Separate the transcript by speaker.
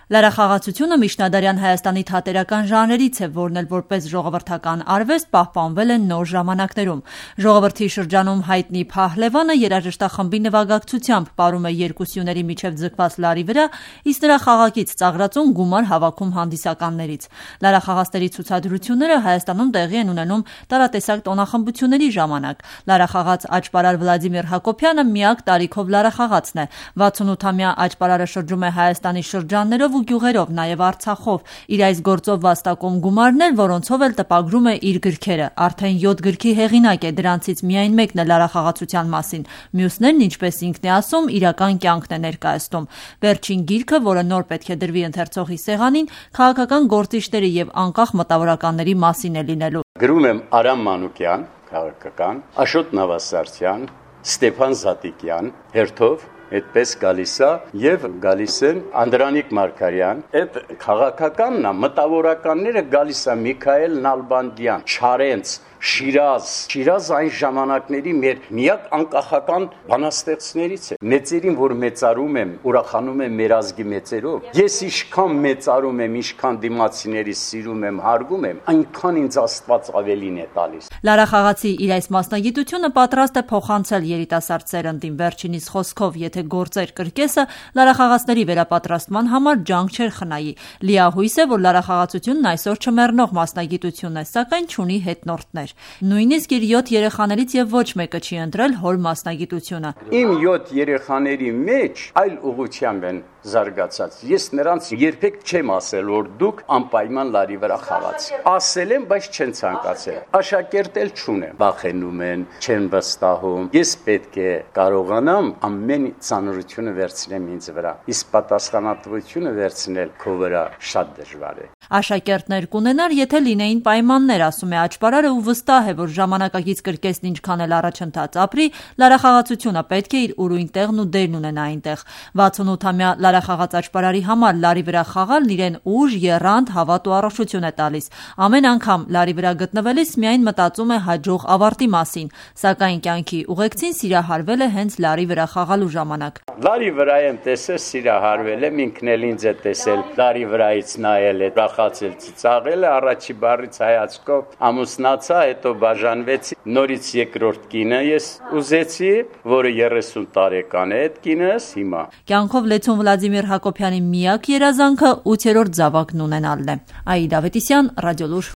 Speaker 1: Լարախաղացությունը միջնադարյան Հայաստանի թատերական ժանրերից է, որն էլ որպես ժողովրդական արվեստ պահպանվել է նոր ժամանակներում։ Ժողովրդի շրջանում հայտնի Փահլևանը երաժշտախմբի նվագակցությամբ պարում է երկու սյուների միջև ձգված լարի վրա, իսկ նրա խաղակից ծաղրածուն գումար հավաքում հանդիսականներից։ Լարախաղացների ցուցադրությունները Հայաստանում տեղի են ունենում տարատեսակ տոնախմբությունների ժամանակ։ Լարախաղաց աճպարար Վլադիմիր Հակոբյանը միակ տարիքով լարախաղացն է։ 68-ամյա աճպարարը շրջում է Հայաստանի շրջաններով ու գյուղերով, նաև Արցախով։ Իր այս գործով վաստակում գումարներ, որոնցով էլ տպագրում է իր գրքերը։ Արդեն 7 գրքի հեղինակ է, դրանցից միայն մեկն է լարախաղացության մասին։ Մյուսներն, ինչպես ինքն է ասում, իրական կյանքն է ներկայացնում։ Վերջին գիրքը, որը նոր պետք է դրվի ընթերցողի սեղանին, քաղաքական գործիչների եւ անկախ մտավորականների մասին է լինելու։
Speaker 2: Գրում եմ Արամ Մանուկյան, քաղաքական, Աշոտ Նավասարդյան, Ստեփան Զատիկյան, հերթով այդպես գալիս է եւ գալիս են Անդրանիկ Մարգարյան, այդ քաղաքականն է, մտավորականները գալիս է Միքայել Նալբանդյան, Չարենց, Շիրազ այն ժամանակների մեր միակ անկախական բանաստեղծներից է։ Մեծերին, որ մեծարում եմ, ուրախանում եմ մեր ազգի մեծերով։ Ես ինչքան մեծարում եմ, ինչքան դիմացիներից սիրում եմ, հարգում եմ, այնքան ինձ Աստված ավելին է տալիս։
Speaker 1: Լարախաղացի իր այս մասնագիտությունը պատրաստ է փոխանցել երիտասարդ սերնդին։ Վերջինիս խոսքով, եթե գործեր կրկեսը, լարախաղացների վերապատրաստման համար ջանք չէր խնայի։ Լիահույս է, որ լարախաղացությունն այսօր չմեռնող մասնագիտություն է, սակայն չունի հետնորդներ։ Նույնիսկ իր 7 երեխաներից եւ ոչ մեկը չի ընտրել հոր մասնագիտությունը։
Speaker 2: Իմ 7 երեխաների մեջ այլ ուղղությամբ են զարգացած։ Ես նրանց երբեք չեմ ասել, որ դուք անպայման լարի վրա խաղաց։ Ասել եմ, բայց չեն ցանկացել։ Աշակերտ էլ չունեմ։ Վախենում են, չեն վստահում։ Ես պետք է կարողանամ ամեն ծանրությունը վերցնեմ ինձ վրա։ Իսկ պատասխանատվությունը վերցնել քո վրա շատ դժվար է։
Speaker 1: Աշակերտներ կունենար, եթե լինեին պայմաններ, ասում է աճպարարը ու վստահ է, որ ժամանակակից կրկեսն ինչքան էլ առաջընթաց ապրի, լարախաղացությունը պետք է իր ուրույն տեղն ու դերն ունենա այնտեղ։ 68-ամյա լարախաղաց աճպարարի համար լարի վրա խաղալն իրեն ուժ, եռանդ, հավատ ու առողջություն է տալիս։ Ամեն անգամ լարի վրա գտնվելիս միայն մտածում է հաջող ավարտի մասին, սակայն կյանքի ուղեկցին սիրահարվել է հենց լարի վրա խաղալու ժամանակ։
Speaker 2: Լարի վրա եմ տեսել, սիրահարվել եմ, ինքն էլ ինձ է տեսել, լարի վրայից նայել է, ուրախացել, ծիծաղել է, առաջի բառից հայացքով ամուսնացա, հետո բաժանվեցի, նորից երկրորդ կինը ես ուզեցի, որը 30 տարեկան է, այդ կինս հիմա։
Speaker 1: Կյանքով լեցուն Վլադիմիր Հակոբյանի միակ երազանքը 8-րդ զավակն ունենալն է։ Աիդա Ավետիսյան, Ռադիոլուր։